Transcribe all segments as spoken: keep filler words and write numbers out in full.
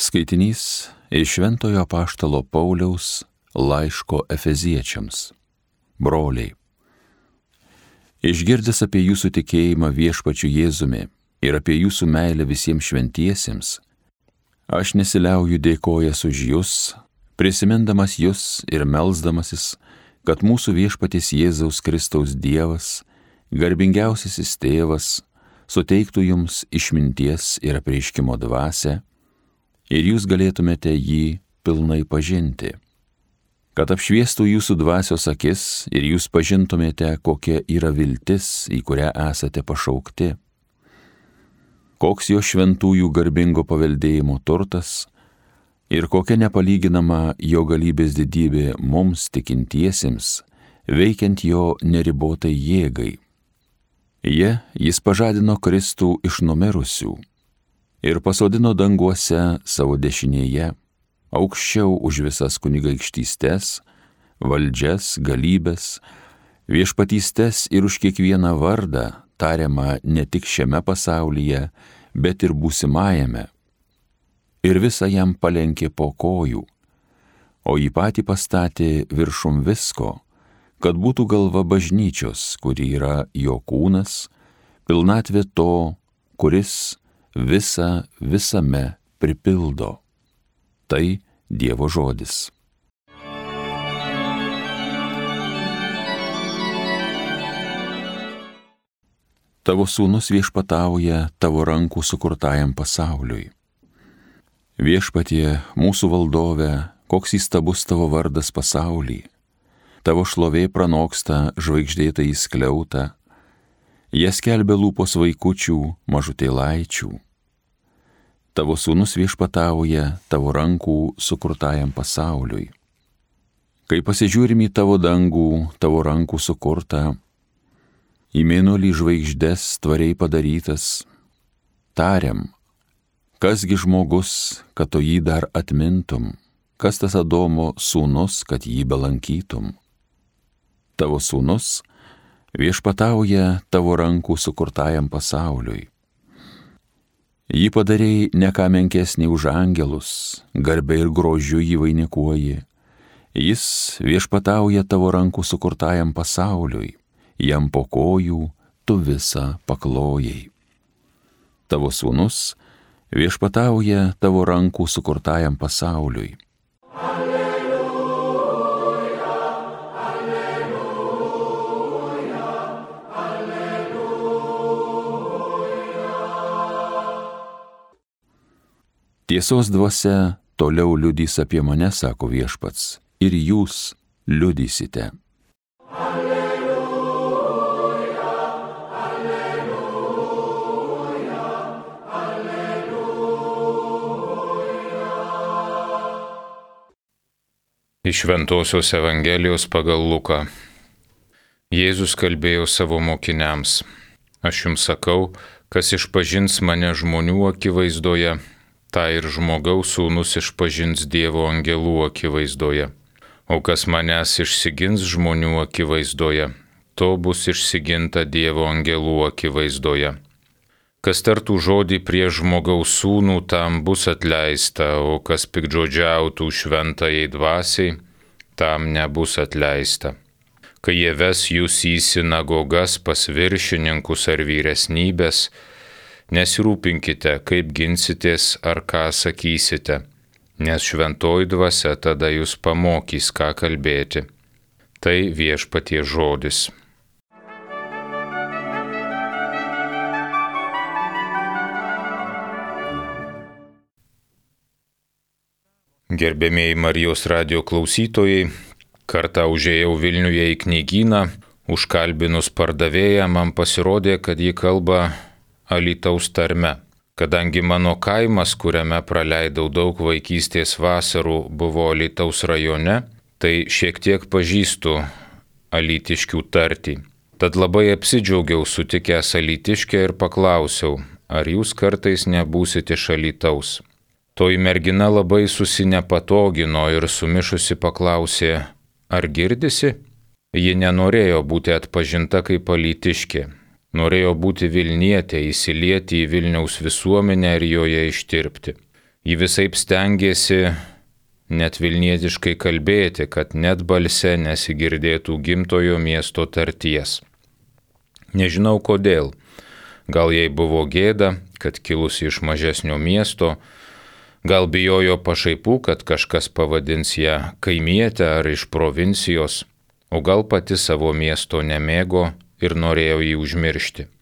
Skaitinys iš Šventojo apaštalo Pauliaus laiško Efeziečiams. Broliai, išgirdęs apie jūsų tikėjimą viešpačiu Jėzumi ir apie jūsų meilę visiems šventiesiems, aš nesiliauju dėkojęs už jūs, prisimindamas jūs ir melsdamasis, kad mūsų viešpaties Jėzaus Kristaus Dievas, garbingiausiasis tėvas, suteiktų jums išminties ir apreiškimo dvasią, ir jūs galėtumėte jį pilnai pažinti, kad apšviestų jūsų dvasios akis ir jūs pažintumėte, kokia yra viltis, į kurią esate pašaukti, koks jo šventųjų garbingo paveldėjimo turtas ir kokia nepalyginama jo galybės didybė mums tikintiesiems, veikiant jo neribotai jėgai. Jie jis pažadino Kristų iš numirusių ir pasodino danguose savo dešinėje, aukščiau už visas kunigaikštystes, valdžias, galybės, viešpatystes ir už kiekvieną vardą, tariamą ne tik šiame pasaulyje, bet ir būsimajame. Ir visą jam palenkė po kojų, o jį patį pastatė viršum visko, kad būtų galva bažnyčios, kuri yra jo kūnas, pilnatvė to, kuris visą visame pripildo. Tai Dievo žodis. Tavo sūnus viešpatauja tavo rankų sukurtajam pasauliui. Viešpatie, mūsų valdove, koks įstabus tavo vardas pasauly. Tavo šlovė pranoksta žvaigždėtą įskliautą, jas skelbia lūpos vaikučių, mažutėlaičių. Tavo sūnus viešpatauja tavo rankų sukurtajam pasauliui. Kai pasižiūrim į tavo dangų, tavo rankų sukurtą, į mėnulį žvaigždes tvariai padarytas, tariam, kasgi žmogus, kad to jį dar atmintum, kas tas Adomo sūnus, kad jį belankytum. Tavo sūnus viešpatauja tavo rankų sukurtajam pasauliui. Jį padarėjai ne ką menkesnį už angelus, garbę ir grožiu jį vainikuoji. Jis viešpatauja tavo rankų sukurtajam pasauliui, jam po kojų tu visą paklojai. Tavo sūnus viešpatauja tavo rankų sukurtajam pasauliui. Tiesos dvasia toliau liudys apie mane, sako viešpats, ir jūs liudysite. Alleluja, alleluja, alleluja. Iš Šventosios Evangelijos pagal Luką. Jėzus kalbėjo savo mokiniams: Aš jums sakau, kas išpažins mane žmonių akivaizdoje, tą ir žmogaus sūnus išpažins Dievo angelų akivaizdoje. O kas manęs išsigins žmonių akivaizdoje, to bus išsiginta Dievo angelų akivaizdoje. Kas tartų žodį prieš žmogaus sūnų, tam bus atleista, o kas piktžodžiautų šventajai dvasiai, tam nebus atleista. Kai jie ves jūs į sinagogas pas viršininkus ar vyresnybės, nesirūpinkite, kaip ginsitės ar ką sakysite, nes šventoji dvasia tada jūs pamokys, ką kalbėti. Tai Viešpaties žodis. Gerbėmieji Marijos radijo klausytojai, kartą užėjau Vilniuje į knygyną, užkalbinus pardavėją, man pasirodė, kad ji kalba Alytaus tarme. Kadangi mano kaimas, kuriame praleidau daug vaikystės vasarų, buvo Alytaus rajone, tai šiek tiek pažįstu alytiškių tartį. Tad labai apsidžiaugiau sutikęs alytiškę ir paklausiau, ar jūs kartais nebūsite iš Alytaus. Toji mergina labai susinepatogino ir sumišusi paklausė, ar girdisi? Ji nenorėjo būti atpažinta kaip alytiškė. Norėjo būti Vilnietė, įsilieti į Vilniaus visuomenę ir joje ištirpti. Ji visaip stengėsi net vilnietiškai kalbėti, kad net balse nesigirdėtų gimtojo miesto tarties. Nežinau kodėl. Gal jai buvo gėda, kad kilusi iš mažesnio miesto, gal bijojo pašaipų, kad kažkas pavadins ją kaimietę ar iš provincijos, o gal pati savo miesto nemėgo ir norėjo jį užmiršti.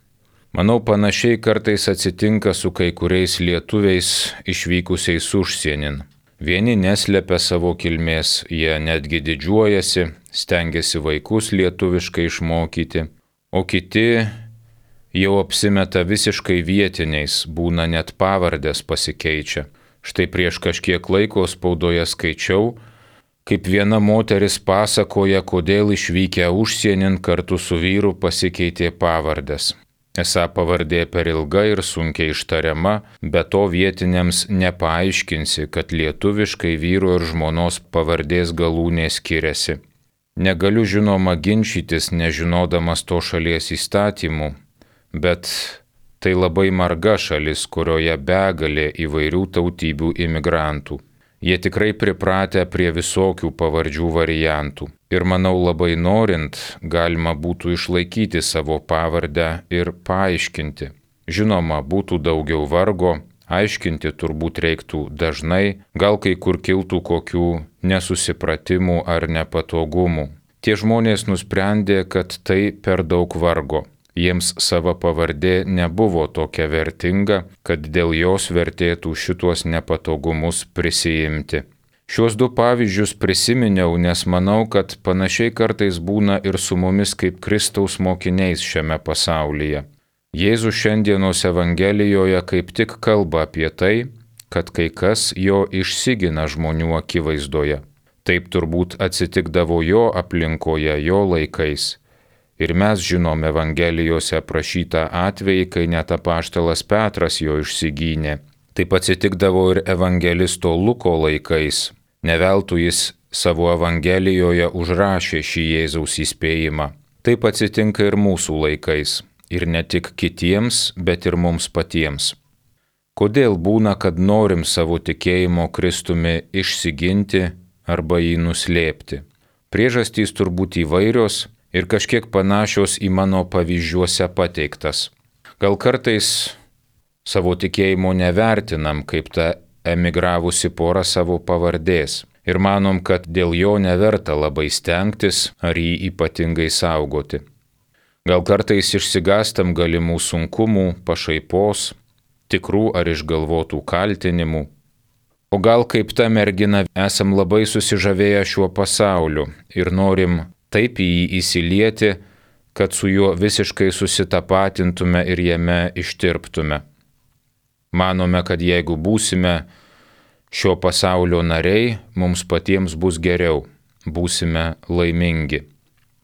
Manau, panašiai kartais atsitinka su kai kuriais lietuviais išvykusiais užsienin. Vieni neslepia savo kilmės, jie netgi didžiuojasi, stengiasi vaikus lietuviškai išmokyti, o kiti jau apsimeta visiškai vietiniais, būna net pavardės pasikeičia. Štai prieš kažkiek laiko spaudoje skaičiau, kaip viena moteris pasakoja, kodėl išvykę užsienin kartu su vyru pasikeitė pavardės. Esą pavardė per ilga ir sunkiai ištariama, be to vietiniams nepaaiškinsi, kad lietuviškai vyro ir žmonos pavardės galūnė skiriasi. Negaliu žinoma ginčytis, nežinodamas to šalies įstatymų, bet tai labai marga šalis, kurioje begalė įvairių tautybių imigrantų. Jie tikrai pripratę prie visokių pavardžių variantų. Ir manau, labai norint, galima būtų išlaikyti savo pavardę ir paaiškinti. Žinoma, būtų daugiau vargo, aiškinti turbūt reiktų dažnai, gal kai kur kiltų kokių nesusipratimų ar nepatogumų. Tie žmonės nusprendė, kad tai per daug vargo. Jiems sava pavardė nebuvo tokia vertinga, kad dėl jos vertėtų šituos nepatogumus prisijimti. Šiuos du pavyzdžius prisiminiau, nes manau, kad panašiai kartais būna ir su mumis kaip Kristaus mokiniais šiame pasaulyje. Jėzus šiandienos Evangelijoje kaip tik kalba apie tai, kad kai kas jo išsigina žmonių akivaizdoje. Taip turbūt atsitikdavo jo aplinkoje, jo laikais. Ir mes žinom Evangelijose aprašytą atvejį, kai net apaštalas Petras jo išsigynė. Taip atsitikdavo ir evangelisto Luko laikais. Ne veltui jis savo Evangelijoje užrašė šį Jėzaus įspėjimą. Taip atsitinka ir mūsų laikais. Ir ne tik kitiems, bet ir mums patiems. Kodėl būna, kad norim savo tikėjimo Kristumi išsiginti arba jį nuslėpti? Priežastys turbūt įvairios ir kažkiek panašios į mano pavyzdžiuose pateiktas. Gal kartais savo tikėjimo nevertinam, kaip ta emigravusi pora savo pavardės ir manom, kad dėl jo neverta labai stengtis ar jį ypatingai saugoti. Gal kartais išsigastam galimų sunkumų, pašaipos, tikrų ar išgalvotų kaltinimų. O gal kaip ta mergina esam labai susižavėję šiuo pasauliu ir norim taip į jį įsilieti, kad su juo visiškai susitapatintume ir jame ištirptume. Manome, kad jeigu būsime šio pasaulio nariai, mums patiems bus geriau, būsime laimingi.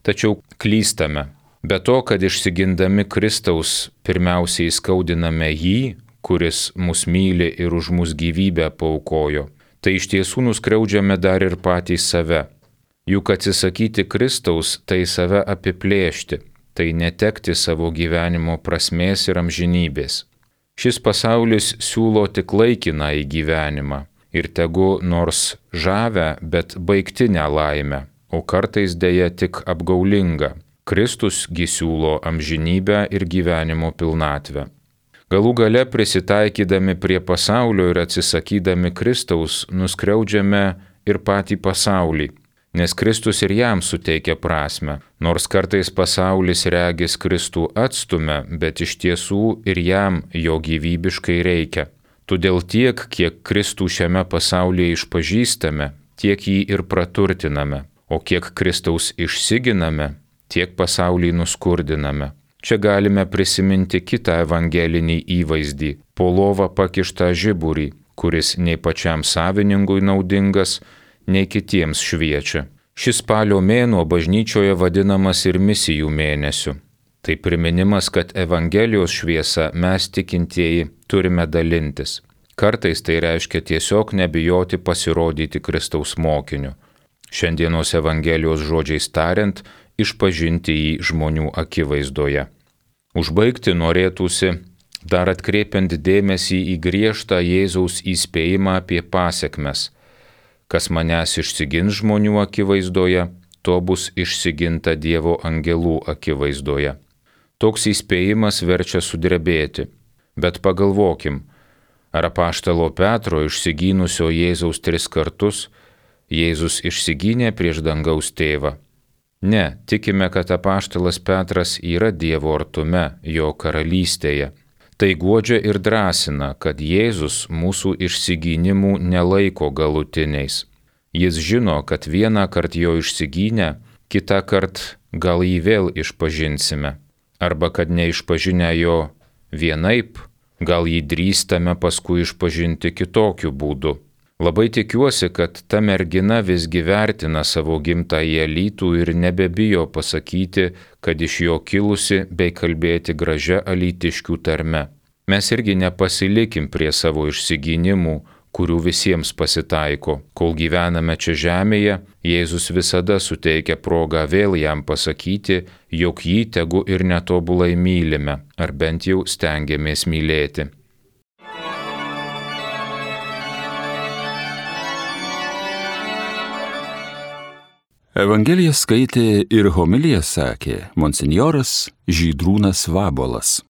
Tačiau klystame. Be to, kad išsigindami Kristaus pirmiausiai skaudiname jį, kuris mus myli ir už mus gyvybę paaukojo, tai iš tiesų nuskriaudžiame dar ir patys save. Juk atsisakyti Kristaus tai save apiplėšti, tai netekti savo gyvenimo prasmės ir amžinybės. Šis pasaulis siūlo tik laikiną į gyvenimą ir tegu nors žavę, bet baigtinę laimę, o kartais dėja tik apgaulingą. Kristus gi siūlo amžinybę ir gyvenimo pilnatvę. Galų gale prisitaikydami prie pasaulio ir atsisakydami Kristaus nuskriaudžiame ir patį pasaulį. Nes Kristus ir jam suteikia prasme, nors kartais pasaulis regis Kristų atstumia, bet iš tiesų ir jam jo gyvybiškai reikia. Todėl tiek, kiek Kristų šiame pasaulyje išpažįstame, tiek jį ir praturtiname, o kiek Kristaus išsiginame, tiek pasaulį nuskurdiname. Čia galime prisiminti kitą evangelinį įvaizdį – po lova pakištą žiburį, kuris nei pačiam savininkui naudingas, nei kitiems šviečia. Šis spalio mėnuo bažnyčioje vadinamas ir misijų mėnesiu. Tai priminimas, kad Evangelijos šviesa mes tikintieji turime dalintis. Kartais tai reiškia tiesiog nebijoti pasirodyti Kristaus mokiniu. Šiandienos Evangelijos žodžiais tariant, išpažinti jį žmonių akivaizdoje. Užbaigti norėtųsi dar atkreipiant dėmesį į griežtą Jėzaus įspėjimą apie pasekmes. Kas manęs išsigins žmonių akivaizdoje, to bus išsiginta Dievo angelų akivaizdoje. Toks įspėjimas verčia sudrebėti, bet pagalvokim, ar apaštalo Petro išsigynusio Jėzaus tris kartus Jėzus išsigynė prieš dangaus tėvą? Ne, tikime, kad apaštalas Petras yra Dievo artume, jo karalystėje. Tai guodžia ir drąsina, kad Jėzus mūsų išsigynimų nelaiko galutiniais. Jis žino, kad vieną kartą jo išsigynę, kitą kartą gal jį vėl išpažinsime. Arba kad neišpažinę jo vienaip, gal jį drįstame paskui išpažinti kitokiu būdu. Labai tikiuosi, kad ta mergina visgi vertina savo gimtąjį Alytų ir nebebijo pasakyti, kad iš jo kilusi bei kalbėti gražia alytiškių tarme. Mes irgi nepasilikim prie savo išsigynimų, kurių visiems pasitaiko. Kol gyvename čia žemėje, Jėzus visada suteikia progą vėl jam pasakyti, jog jį tegu ir netobulai mylime, ar bent jau stengiamės mylėti. Evangeliją skaitė ir homiliją sakė monsinjoras Žydrūnas Vabuolas.